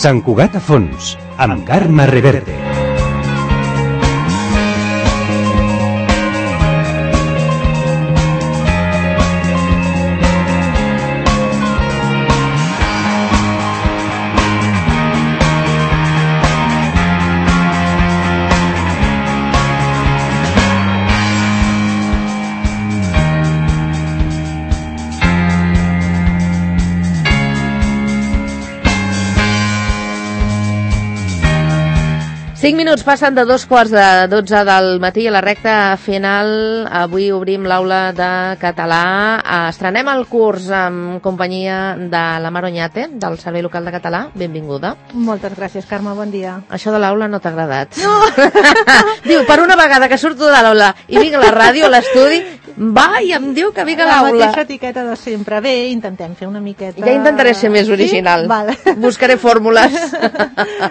Sant Cugat a fons, amb Carme Reverte. Cinc minuts passen de 2:45 del matí a la recta final. Avui obrim l'aula de català. Estrenem el curs en companyia de la Mar Oñate, del Servei Local de Català. Benvinguda. Moltes gràcies, Carme, bon dia. Això de l'aula no t'ha agradat? No! Diu, per una vegada que surto de l'aula i vinc a la ràdio, a l'estudi, va i em diu que vinc a l'aula. La mateixa etiqueta de sempre. Bé, intentem fer una miqueta... Ja intentaré ser més original. Sí? Vale. Buscaré fórmules.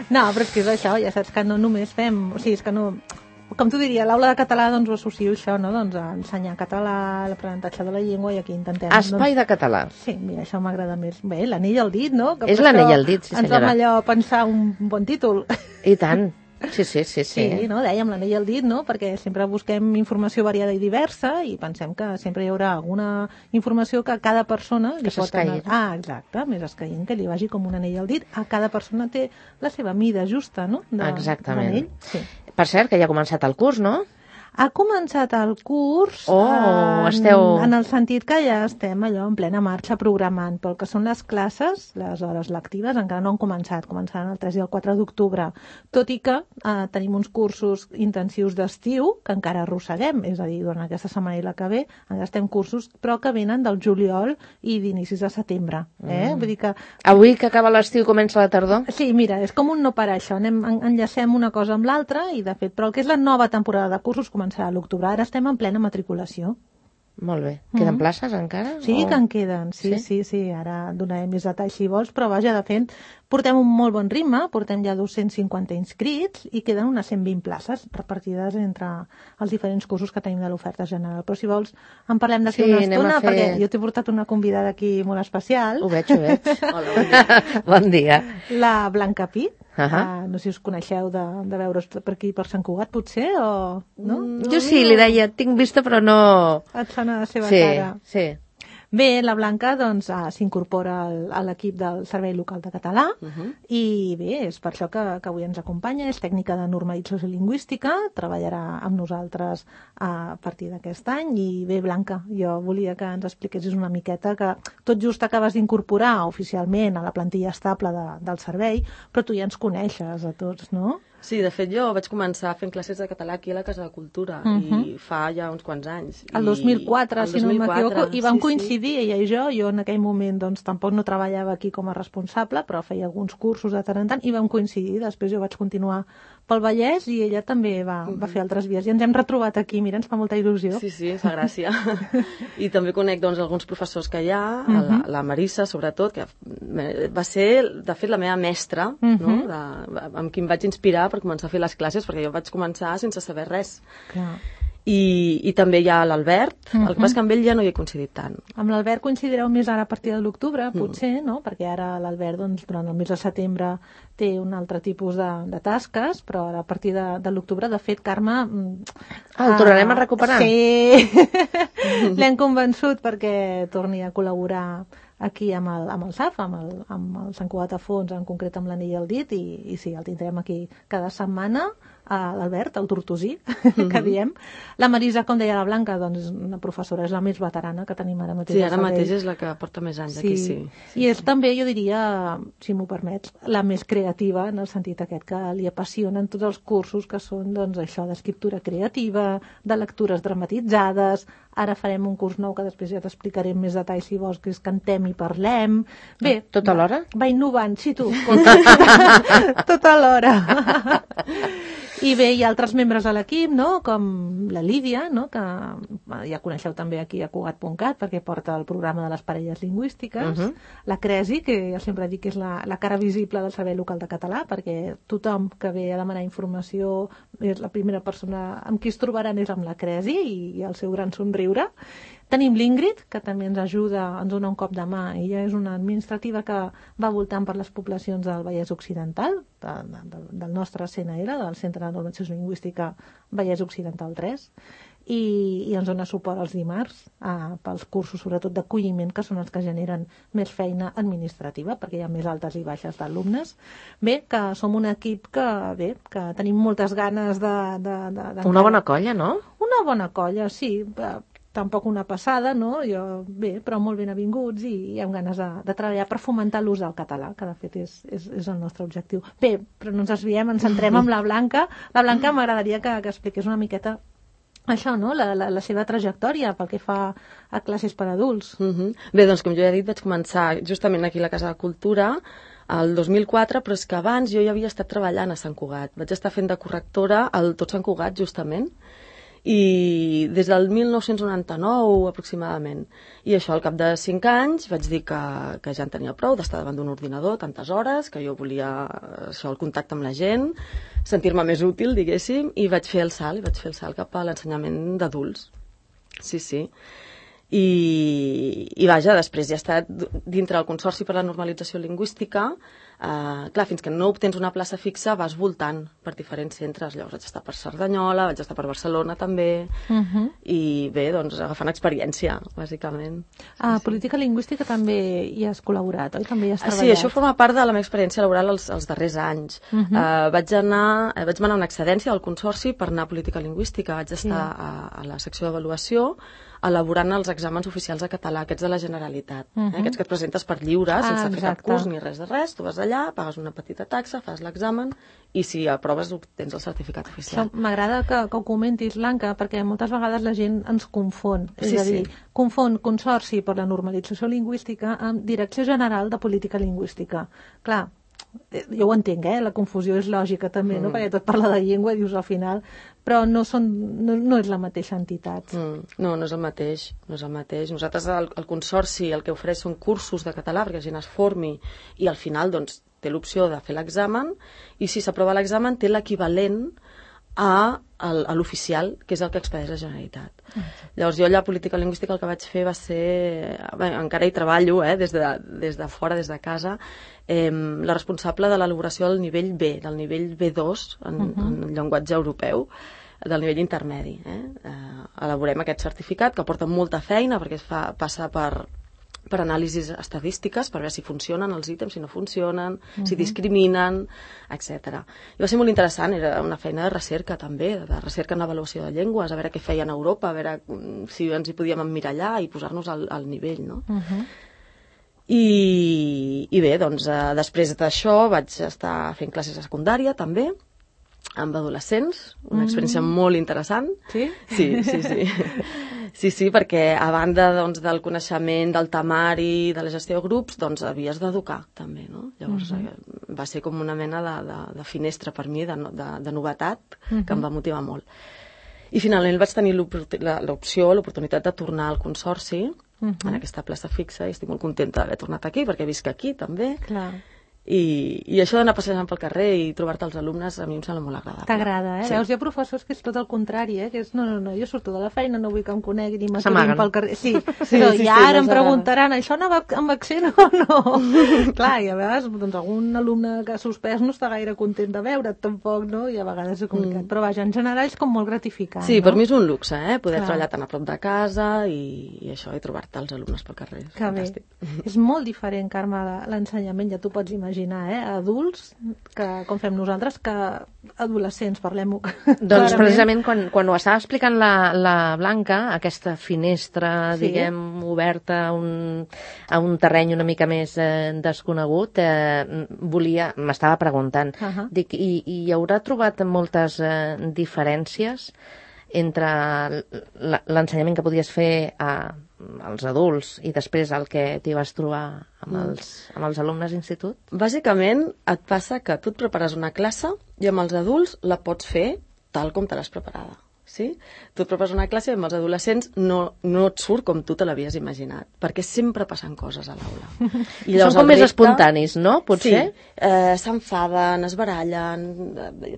No, però és que és això, ja saps que no només fem... O sigui, és que no... Com t'ho diria, l'aula de català, doncs ho associo això, no? Doncs a ensenyar català, l'aprenentatge de la llengua, i aquí intentem... Espai de català. Sí, mira, això m'agrada més. Bé, l'anell al dit, no? És l'anell al dit, sí senyora. Ens vam allò pensar un bon títol. I tant. Sí. Sí, no? Dèiem l'anell al dit, no? Perquè sempre busquem informació variada i diversa i pensem que sempre hi haurà alguna informació que a cada persona li pot anar... Exacte, més escaient, que li vagi com un anell al dit. A cada persona té la seva mida justa, no? Exactament. Sí. Per cert, que ja ha començat el curs, no? Ha començat el curs en el sentit que ja estem allò en plena marxa programant, però el que són les classes, les hores lectives, encara no han començat, començaran el 3 i el 4 d'octubre, tot i que tenim uns cursos intensius d'estiu que encara arrosseguem, és a dir, durant aquesta setmana i la que ve encara estem cursos, però que venen del juliol i d'inicis de setembre. Vull dir que... Avui que acaba l'estiu comença la tardor? Sí, mira, és com un no parar això, enllacem una cosa amb l'altra i de fet, però el que és la nova temporada de cursos començarà a l'octubre. Ara estem en plena matriculació. Molt bé. Queden places encara? Sí, que en queden. Sí. Ara donarem més detalls si vols, però vaja, de fet, portem un molt bon ritme, portem ja 250 inscrits i queden unes 120 places repartides entre els diferents cursos que tenim de l'oferta general. Però si vols, en parlem d'aquí una estona, perquè jo t'he portat una convidada aquí molt especial. Ho veig. Hola, bon dia. Bon dia. La Blanca Pi. No sé si us coneixeu de veure's per aquí, per Sant Cugat, potser, o... No? Jo sí, li deia, tinc vista, però no... Et sona la seva cara. Sí. Bé, la Blanca doncs, s'incorpora a l'equip del Servei Local de Català i bé, és per això que avui ens acompanya, és tècnica de normalització lingüística, treballarà amb nosaltres a partir d'aquest any i bé, Blanca, jo volia que ens expliquessis una miqueta que tot just acabes d'incorporar oficialment a la plantilla estable del servei, però tu ja ens coneixes a tots, no? Sí, de fet jo vaig començar fent classes de català aquí a la Casa de Cultura i fa ja uns quants anys. El 2004, si no m'equivoco, i vam coincidir, ella i jo en aquell moment doncs tampoc no treballava aquí com a responsable, però feia alguns cursos de tant en tant i vam coincidir, després jo vaig continuar pel Vallès i ella també va fer altres vies i ens hem retrobat aquí, mira, ens fa molta il·lusió. Sí, fa gràcia. I també conec doncs alguns professors que hi ha, la Marissa sobretot, que va ser de fet la meva mestra, no? Amb qui em vaig inspirar per començar a fer les classes, perquè jo vaig començar sense saber res. Clar. I també hi ha l'Albert, el que passa que amb ell ja no hi he coincidit tant. Amb l'Albert coincidireu més ara a partir de l'octubre, potser, no? Perquè ara l'Albert, doncs, durant el mes de setembre té un altre tipus de tasques, però ara a partir de l'octubre, de fet, Carme... El tornarem a recuperar? Sí! L'hem convençut perquè torni a col·laborar aquí amb el SAF, amb el Sant Cugat a fons, en concret amb l'anell al dit, i sí, el tindrem aquí cada setmana, l'Albert, el tortosí, que diem. La Marisa, com deia la Blanca, doncs una professora, és la més veterana que tenim ara mateix. Sí, ara mateix és la que porta més anys aquí, sí. I és també, jo diria, si m'ho permets, la més creativa, en el sentit aquest que li apassionen tots els cursos que són, doncs, això, d'escriptura creativa, de lectures dramatitzades. Ara farem un curs nou que després ja t'explicaré més detalls si vols, que és Cantem i Parlem. Bé, tot alhora? Va innovant, sí, tu. Tot alhora. I bé, hi ha altres membres de l'equip, no? Com la Lídia, no? Que ja coneixeu també aquí a Cugat.cat, perquè porta el programa de les parelles lingüístiques. La Cresi, que jo sempre dic que és la cara visible del Servei Local de Català, perquè tothom que ve a demanar informació és la primera persona amb qui es trobaran és amb la Cresi i el seu gran somriure. Tenim l'Ingrid, que també ens ajuda, ens dona un cop de mà. Ella és una administrativa que va voltant per les poblacions del Vallès Occidental, del nostre CNR, del Centre de Normalització Lingüística Vallès Occidental 3, i ens dona suport els dimarts pels cursos, sobretot d'acolliment, que són els que generen més feina administrativa, perquè hi ha més altes i baixes d'alumnes. Bé, que som un equip que tenim moltes ganes de... Una bona colla, no? Una bona colla, sí. Tampoc una passada, no? Bé, però molt ben avinguts i amb ganes de treballar per fomentar l'ús del català, que de fet és el nostre objectiu. Bé, però no ens desviem, ens centrem en la Blanca. La Blanca m'agradaria que expliqués una miqueta això, no? La seva trajectòria pel que fa a classes per adults. Bé, doncs com jo ja he dit, vaig començar justament aquí a la Casa de Cultura el 2004, però és que abans jo ja havia estat treballant a Sant Cugat. Vaig estar fent de correctora al Tot Sant Cugat, justament, i des del 1999 aproximadament. I això, al cap de 5 anys, vaig dir que ja en tenia prou d'estar davant d'un ordinador tantes hores, que jo volia el contacte amb la gent, sentir-me més útil, diguéssim, i vaig fer el salt cap a l'ensenyament d'adults. Sí. I vaja, després ja he estat dintre del Consorci per la Normalització Lingüística. Clar, fins que no obtens una plaça fixa vas voltant per diferents centres. Llavors vaig estar per Cerdanyola, vaig estar per Barcelona també, i bé, doncs agafant experiència, bàsicament. Política lingüística també hi has col·laborat, oi? També hi has treballat? Sí, això forma part de la meva experiència laboral els darrers anys. Vaig manar una excedència del Consorci per anar a Política Lingüística. Vaig estar a la secció d'avaluació elaborant els exàmens oficials de català, aquests de la Generalitat, aquests que et presentes per lliure, sense fer cap curs ni res de res. Tu vas allà, pagues una petita taxa, fas l'examen i si aproves tens el certificat oficial. M'agrada que ho comentis, Blanca, perquè moltes vegades la gent ens confon. És a dir, confon Consorci per la Normalització Lingüística amb Direcció General de Política Lingüística. Clar, jo ho entenc, la confusió és lògica també, no? Perquè tot parla de llengua, dius al final, però no és la mateixa entitat. No és el mateix. Nosaltres, el Consorci, el que ofereix són cursos de català perquè la gent es formi i al final doncs, té l'opció de fer l'examen i si s'aprova l'examen té l'equivalent a l'oficial, que és el que expedeix la Generalitat. Llavors jo allà a Política Lingüística el que vaig fer va ser, encara hi treballo, des de fora, des de casa, la responsable de l'elaboració del nivell B, del nivell B2 en llenguatge europeu, del nivell intermedi. Elaborem aquest certificat que porta molta feina perquè passa per anàlisis estadístiques, per veure si funcionen els ítems, si no funcionen, si discriminen, etc. I va ser molt interessant, era una feina de recerca també, de recerca en avaluació de llengües, a veure què feien a Europa, a veure si ens hi podíem emmirallar i posar-nos al nivell, no? I bé, doncs, després d'això vaig estar fent classes a secundària també, amb adolescents, una experiència molt interessant. Sí? Sí, perquè a banda doncs, del coneixement, del temari, de la gestió de grups, doncs havies d'educar també, no? Llavors va ser com una mena de finestra per mi, de novetat, que em va motivar molt. I finalment vaig tenir l'oportunitat de tornar al Consorci, en aquesta plaça fixa, i estic molt contenta d'haver tornat aquí, perquè visc aquí també. Clar. I això d'anar passejant pel carrer i trobar-te els alumnes a mi em sembla molt agradable. T'agrada, Sí. Veus, hi ha professors que és tot el contrari, que és no, jo surto de la feina, no vull que em coneguin i m'aturin pel carrer. Sí, però ja ara em preguntaran, això anava amb accent o no? Clar, i a vegades doncs, algun alumne que ha suspès no està gaire content de veure't tampoc, no? I a vegades és complicat. Però vaja, en general és com molt gratificant. Sí, per mi és un luxe, poder treballar tan a prop de casa i això, i trobar-te els alumnes pel carrer. Que bé. És molt diferent, Carme, l'ensenyament, ja t'ho pots imaginar, adults, com fem nosaltres, que adolescents, parlem-ho. Doncs precisament quan ho estava explicant la Blanca, aquesta finestra, diguem, oberta a un terreny una mica més desconegut, m'estava preguntant, dic, i haurà trobat moltes diferències entre l'ensenyament que podies fer als adults i després el que t'hi vas trobar amb els alumnes d'institut? Bàsicament et passa que tu et prepares una classe i amb els adults la pots fer tal com te l'has preparada. sí? Tu et prepares una classe i amb els adolescents no et surt com tu te l'havies imaginat, perquè sempre passen coses a l'aula. Són com més espontanis, no? Potser? Sí, s'enfaden, es barallen,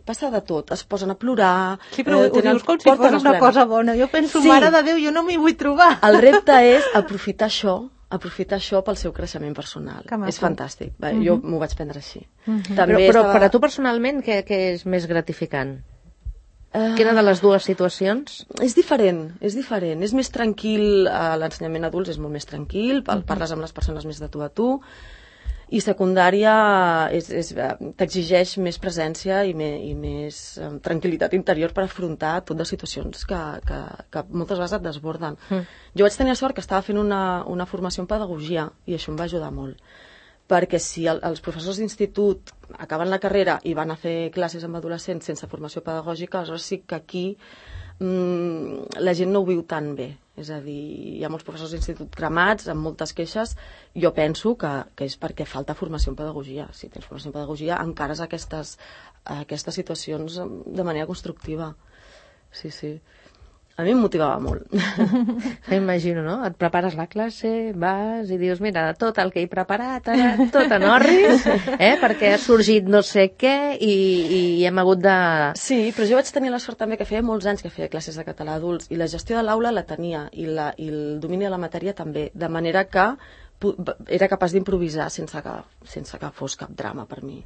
passa de tot, es posen a plorar... Sí, però ho dius com si fos una cosa bona. Jo penso, mare de Déu, jo no m'hi vull trobar. El repte és aprofitar això pel seu creixement personal. És fantàstic. Jo m'ho vaig prendre així. Però per a tu personalment, què és més gratificant? Quina de les dues situacions? És diferent. És més tranquil, l'ensenyament adults és molt més tranquil, parles amb les persones més de tu a tu, i secundària t'exigeix més presència i més tranquil·litat interior per afrontar tot de situacions que moltes vegades et desborden. Jo vaig tenir la sort que estava fent una formació en pedagogia i això em va ajudar molt, perquè si els professors d'institut acaben la carrera i van a fer classes amb adolescents sense formació pedagògica, aleshores sí que aquí la gent no ho viu tan bé. És a dir, hi ha molts professors d'institut cremats, amb moltes queixes. Jo penso que és perquè falta formació en pedagogia. Si tens formació en pedagogia, encares aquestes situacions de manera constructiva. Sí, sí. A mi em motivava molt. M'imagino, no? Et prepares la classe, vas i dius, mira, tot el que he preparat, ara tot en orris, perquè ha sorgit no sé què i hem hagut de... Sí, però jo vaig tenir la sort també que feia molts anys que feia classes de català adults i la gestió de l'aula la tenia i el domini de la matèria també, de manera que era capaç d'improvisar sense que fos cap drama per mi.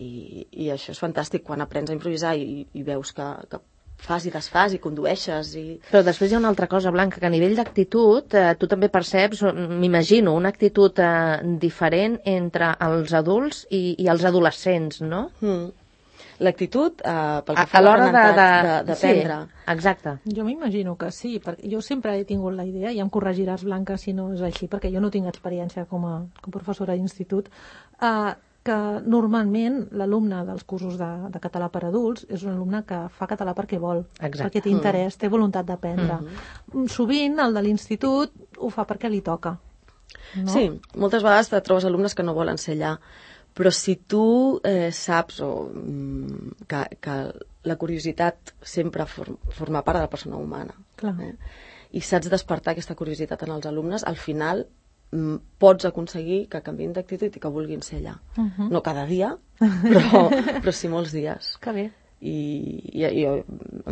I això és fantàstic, quan aprens a improvisar i veus que fas i desfas i condueixes. Però després hi ha una altra cosa, Blanca, que a nivell d'actitud tu també perceps, m'imagino, una actitud diferent entre els adults i els adolescents, no? L'actitud pel que fa a l'aprenentatge d'aprendre. Sí, exacte. Jo m'imagino que sí, perquè jo sempre he tingut la idea, i em corregiràs, Blanca, si no és així, perquè jo no tinc experiència com a professora d'institut, que normalment l'alumne dels cursos de català per adults és un alumne que fa català perquè vol, perquè té interès, té voluntat d'aprendre. Sovint el de l'institut ho fa perquè li toca. No? Sí, moltes vegades et trobes alumnes que no volen ser allà, però si tu saps que la curiositat sempre forma part de la persona humana, i saps despertar aquesta curiositat en els alumnes, al final pots aconseguir que canviïn d'actitud i que vulguin ser allà. No cada dia, però sí molts dies. Que bé. I a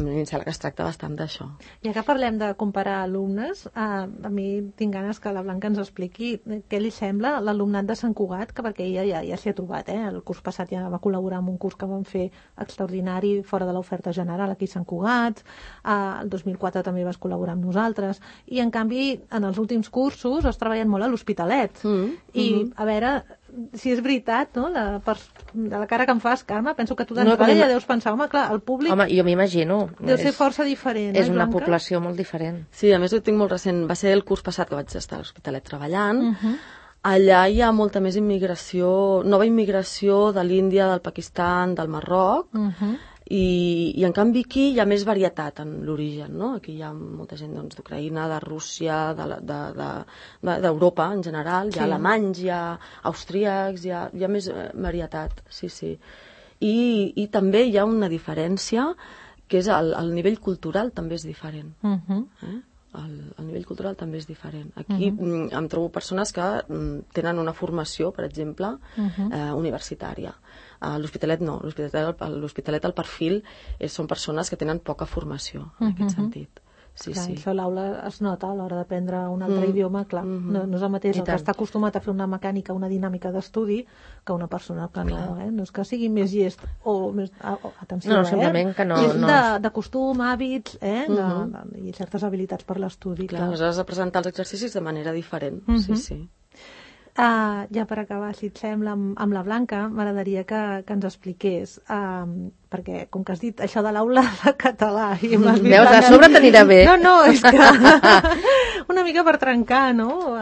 mi em sembla que es tracta bastant d'això. Ja que parlem de comparar alumnes, a mi tinc ganes que la Blanca ens expliqui què li sembla l'alumnat de Sant Cugat, que perquè ella ja s'hi ha trobat, el curs passat ja va col·laborar en un curs que vam fer extraordinari fora de l'oferta general aquí a Sant Cugat, el 2004 també vas col·laborar amb nosaltres, i en canvi en els últims cursos has treballat molt a l'Hospitalet, i a veure si és veritat, no? De la cara que em fas, Carme, penso que tu d'entrada ja deus pensar, home, clar, el públic... Home, jo m'imagino. Deu ser força diferent, és una població molt diferent. Sí, a més ho tinc molt recent. Va ser el curs passat que vaig estar a l'Hospitalet treballant. Allà hi ha molta més immigració, nova immigració de l'Índia, del Pakistan, del Marroc, i en canvi aquí hi ha més varietat en l'origen, no? Aquí hi ha molta gent d'Ucraïna, de Rússia, d'Europa en general, hi ha alemanys, hi ha austríacs, hi ha més varietat, sí. I també hi ha una diferència, que és el nivell cultural també és diferent. El nivell cultural també és diferent. Aquí em trobo persones que tenen una formació, per exemple, universitària. A l'Hospitalet no. L'Hospitalet el perfil són persones que tenen poca formació, en aquest sentit. Sí, clar, sí. Això a l'aula es nota a l'hora d'aprendre un altre idioma, clar, no és el mateix el que està acostumat a fer una mecànica, una dinàmica d'estudi, que una persona que no, no és que sigui més llest o més... atenció, no, simplement que no... És de costum, hàbits, i certes habilitats per l'estudi. Clar, aleshores a presentar els exercicis de manera diferent, sí. Ja per acabar, si et sembla, amb la Blanca, m'agradaria que ens expliqués, perquè com que has dit això de l'aula de català... Veus, a sobre t'anirà bé. No, és que una mica per trencar, no?,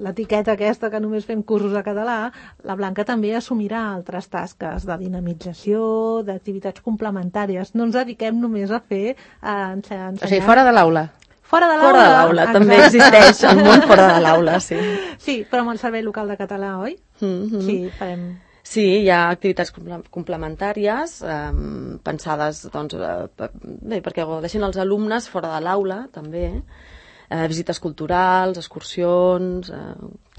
l'etiqueta aquesta que només fem cursos de català, la Blanca també assumirà altres tasques de dinamització, d'activitats complementàries. No ens dediquem només a fer... O sigui, fora de l'aula. Fora de l'aula, també existeix el món fora de l'aula, sí. Sí, però amb el Servei Local de Català, oi? Sí, farem... Sí, hi ha activitats complementàries pensades doncs, perquè gaudeixin els alumnes fora de l'aula, també, visites culturals, excursions...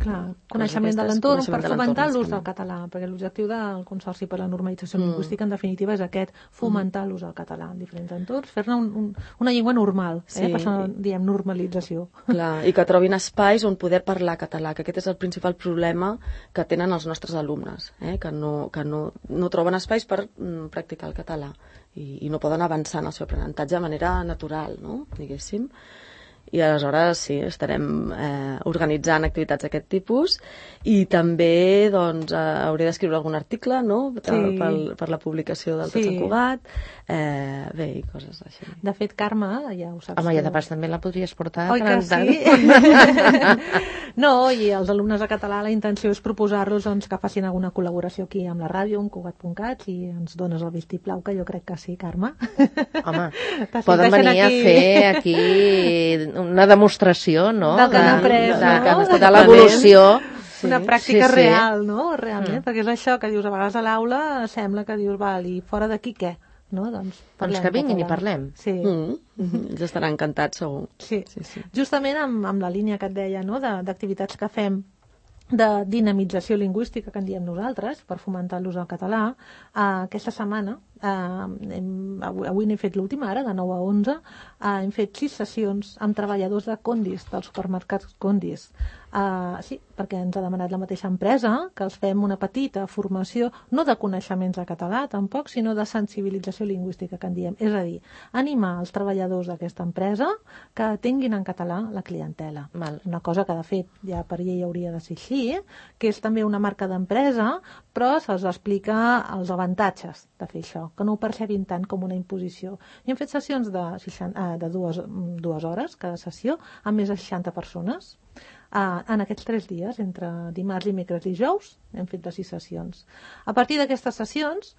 Clar, coneixement de l'entorn per fomentar l'ús del català, perquè l'objectiu del Consorci per la Normalització Lingüística, en definitiva, és aquest, fomentar l'ús del català en diferents entorns, fer-ne una llengua normal, per això diem normalització. Clar, i que trobin espais on poder parlar català, que aquest és el principal problema que tenen els nostres alumnes, que no troben espais per practicar el català i no poden avançar en el seu aprenentatge de manera natural, no? Diguéssim. I aleshores sí, estarem organitzant activitats d'aquest tipus i també doncs, hauré d'escriure algun article, no? Per la publicació del Tot Sant Cugat, bé, i coses així. De fet, Carme, ja ho saps. Home, ja de pas també la podries portar. Oi que sí? No, i els alumnes de català la intenció és proposar-los doncs, que facin alguna col·laboració aquí amb la ràdio, amb Cugat.cat, i ens dones el vistiplau, que jo crec que sí, Carme. Home, poden venir a fer aquí una demostració, no? Del que han après, no? De l'evolució. Una pràctica real, no? Realment, perquè és això que dius a vegades a l'aula, sembla que dius, val, i fora d'aquí què? No? Doncs que vinguin i parlem. Sí. Ells estaran encantats, segur. Sí. Justament amb la línia que et deia, no? D'activitats que fem de dinamització lingüística, que en diem nosaltres, per fomentar l'ús del català, aquesta setmana, avui n'he fet l'última, ara, de 9 a 11, hem fet 6 sessions amb treballadors de Condis, dels supermercats Condis. Sí, perquè ens ha demanat la mateixa empresa que els fem una petita formació, no de coneixements de català tampoc, sinó de sensibilització lingüística, que en diem. És a dir, animar els treballadors d'aquesta empresa que tinguin en català la clientela. Una cosa que, de fet, ja per llei hauria de ser així, que és també una marca d'empresa, però se'ls explica els avantatges de fer això, que no ho percebin tant com una imposició. I hem fet sessions de 2 hores, cada sessió, amb més de 60 persones. En aquests 3 dies, entre dimarts, dimecres i dijous, hem fet de 6 sessions. A partir d'aquestes sessions,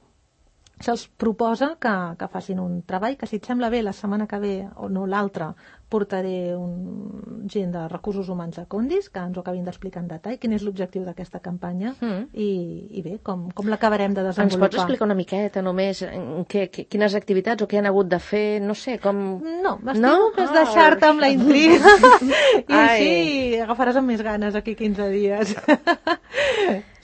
se'ls proposa que facin un treball, que si et sembla bé, la setmana que ve, o no l'altra, portaré gent de recursos humans de Condis, que ens ho acabin d'explicar en detall, quin és l'objectiu d'aquesta campanya, i bé, com l'acabarem de desenvolupar. Ens pots explicar una miqueta només quines activitats o què han hagut de fer, no sé, com... No, m'estimo que és deixar-te amb la intriga, i així agafaràs amb més ganes aquí 15 dies.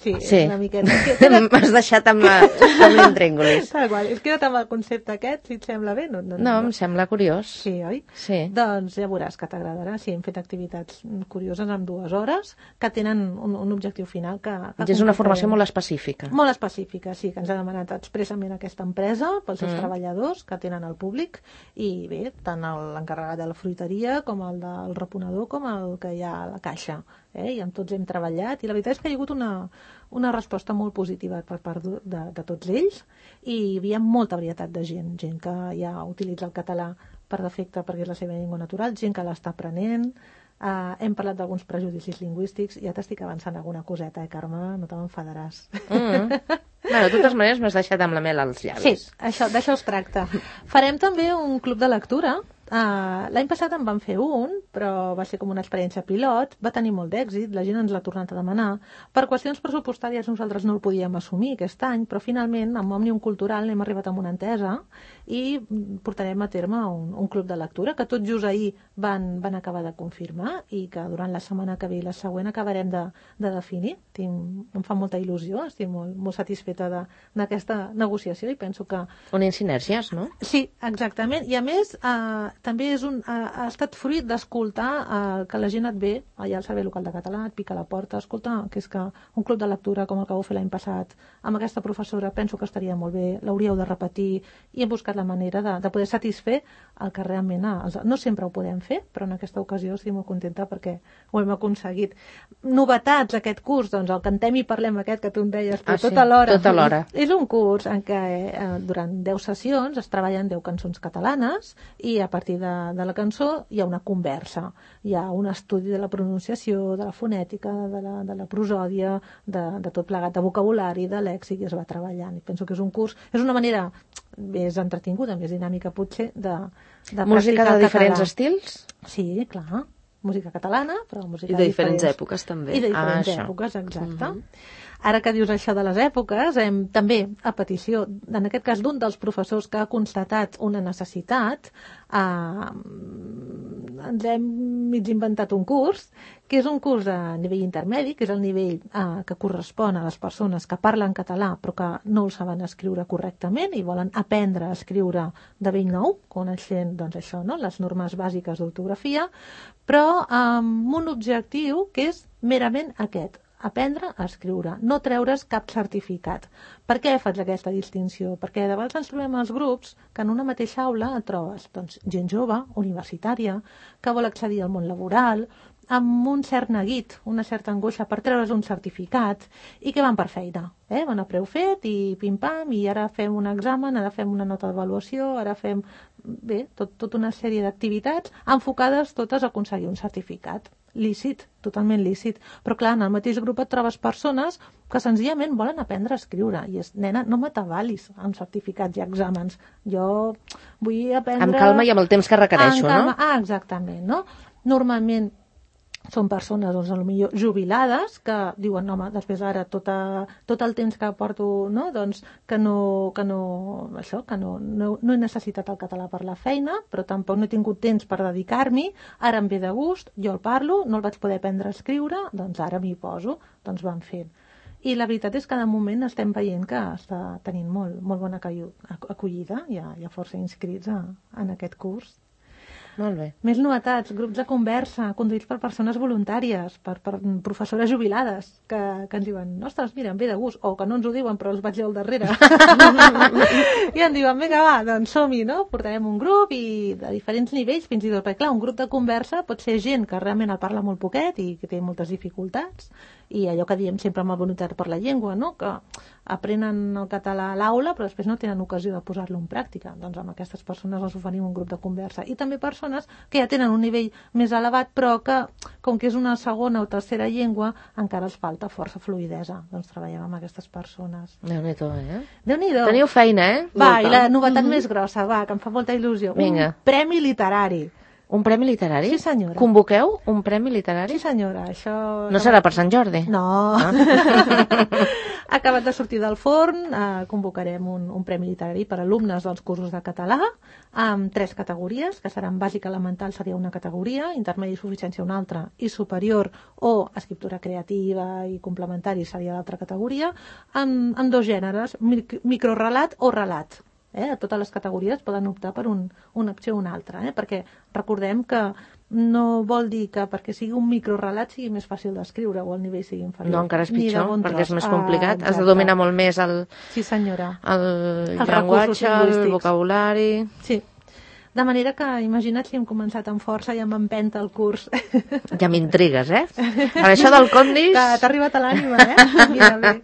Sí, una miqueta. M'has deixat amb l'intríngulis. És queda't amb el concepte aquest, si et sembla bé. No, em sembla curiós. Sí, oi? Sí. Doncs ja veuràs que t'agradarà. Sí, hem fet activitats curioses en 2 hores que tenen un objectiu final. És una formació molt específica. Molt específica, sí, que ens ha demanat expressament aquesta empresa pels seus treballadors que tenen al públic, i bé, tant l'encarregat de la fruiteria com el del reponedor com el que hi ha a la caixa. I amb tots hem treballat, i la veritat és que hi ha hagut una resposta molt positiva per part de tots ells, i hi havia molta varietat de gent que ja utilitza el català per defecte perquè és la seva llengua natural, gent que l'està aprenent. Hem parlat d'alguns prejudicis lingüístics, ja t'estic avançant alguna coseta, Carme, no te m'enfadaràs. De totes maneres m'has deixat amb la mel als llavis. Sí, d'això es tracta. Farem també un club de lectura. L'any passat en vam fer un, però va ser com una experiència pilot, va tenir molt d'èxit, la gent ens l'ha tornat a demanar. Per qüestions pressupostàries nosaltres no el podíem assumir aquest any, però finalment amb Òmnium Cultural hem arribat a una entesa i portarem a terme un club de lectura que tot just ahir van acabar de confirmar, i que durant la setmana que ve i la següent acabarem de definir. Em fa molta il·lusió, estic molt satisfeta d'aquesta negociació, i penso que... Unint sinergies, no? Sí, exactament, i a més també ha estat fruit d'escoltar que la gent et ve allà al Servei Local de Català, et pica a la porta, escolta, que és que un club de lectura com el que vau fer l'any passat amb aquesta professora penso que estaria molt bé, l'hauríeu de repetir, i hem buscat la manera de poder satisfer el que realment no sempre ho podem fer, però en aquesta ocasió estic molt contenta perquè ho hem aconseguit. Novetats aquest curs, doncs el Cantem i Parlem aquest que tu em deies, però tot alhora. És un curs en què durant 10 sessions es treballen 10 cançons catalanes, i a partir de la cançó hi ha una conversa, hi ha un estudi de la pronunciació, de la fonètica, de la prosòdia, de tot plegat, de vocabulari, de lèxic, i es va treballant. I penso que és un curs, és una manera més entretinguda, més dinàmica potser, de música de diferents estils? Sí, clar. música catalana, però música I de diferents èpoques, també. I de diferents èpoques, exacte. Ara que dius això de les èpoques, també, a petició, en aquest cas d'un dels professors que ha constatat una necessitat, ens hem mig inventat un curs, que és un curs a nivell intermedi, que és el nivell que correspon a les persones que parlen català però que no el saben escriure correctament i volen aprendre a escriure de bell nou, coneixent, doncs això, no?, les normes bàsiques d'ortografia, però amb un objectiu que és merament aquest, aprendre a escriure, no treure's cap certificat. Per què faig aquesta distinció? Perquè de vegades ens trobem als grups que en una mateixa aula et trobes gent jove, universitària, que vol accedir al món laboral, amb un cert neguit, una certa angoixa per treure's un certificat i que van per feina. Van a preu fet i pim-pam, i ara fem un examen, ara fem una nota d'avaluació, ara fem tota una sèrie d'activitats enfocades totes a aconseguir un certificat. Lícit, totalment lícit. Però clar, en el mateix grup et trobes persones que senzillament volen aprendre a escriure. I és, nena, no m'atabalis amb certificats i exàmens. Jo vull aprendre... Amb calma i amb el temps que requereixo, no? Exactament, no? Normalment són persones, doncs, potser jubilades, que diuen, no, home, després ara tot el temps que porto, no, doncs, que no he necessitat el català per la feina, però tampoc no he tingut temps per dedicar-m'hi, ara em ve de gust, jo el parlo, no el vaig poder aprendre a escriure, doncs ara m'hi poso, doncs van fent. I la veritat és que de moment estem veient que està tenint molt bona acollida, hi ha força inscrits en aquest curs. Molt bé. Més novetats, grups de conversa, conduïts per persones voluntàries, per professores jubilades, que ens diuen, ostres, mira, em ve de gust, o que no ens ho diuen, però els vaig jo al darrere. I em diuen, vinga, va, doncs som-hi, no? Portarem un grup i de diferents nivells, fins i tot, perquè clar, un grup de conversa pot ser gent que realment el parla molt poquet i que té moltes dificultats, i allò que diem sempre amb la voluntat per la llengua, no?, que aprenen el català a l'aula però després no tenen ocasió de posar-lo en pràctica. Doncs amb aquestes persones els oferim un grup de conversa. I també persones que ja tenen un nivell més elevat però que, com que és una segona o tercera llengua, encara els falta força fluïdesa. Doncs treballem amb aquestes persones. Déu-n'hi-do, Déu-n'hi-do. Teniu feina, Va, i la novetat més grossa, va, que em fa molta il·lusió. Vinga. Un premi literari. Un premi literari? Sí, senyora. Convoqueu un premi literari? Sí, senyora. Això... No serà per Sant Jordi? No. Ha acabat de sortir del forn, convocarem un premi literari per alumnes dels cursos de català, amb 3 categories, que seran bàsica elemental, seria una categoria, intermedi i suficiència una altra, i superior o escriptura creativa i complementari seria l'altra categoria, amb 2 gèneres, microrelat o relat. A totes les categories poden optar per una opció o una altra, perquè recordem que no vol dir que perquè sigui un microrelat sigui més fàcil d'escriure o el nivell sigui inferior. No, encara és pitjor, perquè és més complicat. Has de dominar molt més el llenguatge, el vocabulari... Sí. De manera que, imagina't si hem començat amb força i amb empenta el curs. Ja m'intrigues, Per això del Condis... T'ha arribat a l'ànima, Mira bé.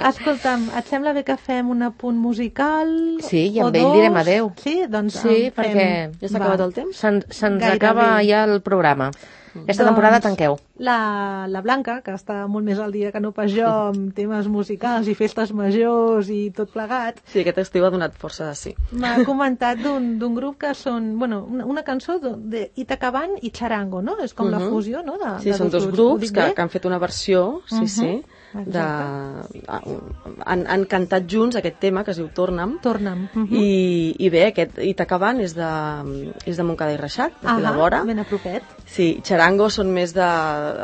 Escolta'm, et sembla bé que fem un apunt musical? Sí, i amb ell direm adeu. Sí, doncs sí, perquè ja s'ha acabat el temps? Se'ns acaba ja el programa. Aquesta temporada tanqueu. La Blanca, que està molt més al dia que no pas jo amb temes musicals i festes majors i tot plegat. Sí, aquest estiu ha donat força de sí. M'ha comentat d'un grup que són, bueno, una cançó d'Itacaban i Charango, no? És com la fusió, no? Sí, són 2 grups que han fet una versió, sí, han cantat junts aquest tema que es diu Torna'm. I bé, aquest Itacaban és de Montcada i Reixac, d'aquí de vora. Ben a propet. Sí, Charango són més de...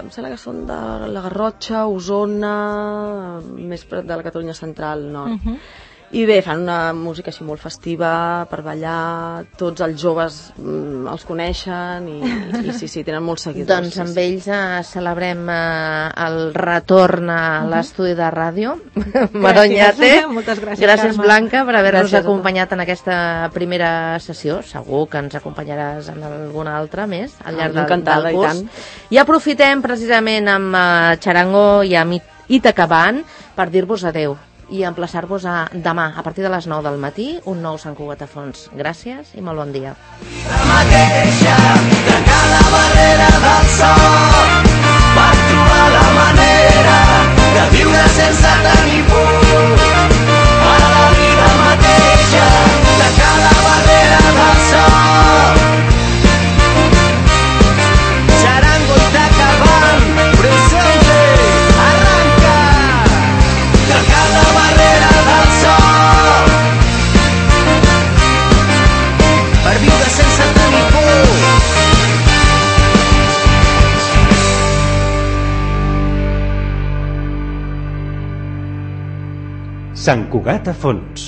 em sembla que són de la Garrotxa, Osona, més de la Catalunya central, nord. I bé, fan una música així molt festiva per ballar, tots els joves els coneixen i sí, tenen molts seguidors. Doncs amb ells celebrem el retorn a l'estudi de ràdio. Maronyate. Moltes gràcies, gràcies, Blanca, per haver-nos acompanyat en aquesta primera sessió. Segur que ens acompanyaràs en alguna altra més al llarg del curs. I aprofitem precisament amb Charango i amb Itacaban per dir-vos adeu i emplaçar-vos a demà, a partir de les 9 del matí, un nou Sant Cugat a Fons. Gràcies i molt bon dia. La mateixa de cada barrera del sol per trobar la manera de viure sense tenir por. A la vida mateixa de cada barrera del sol. Serà Sant Cugat a Fons.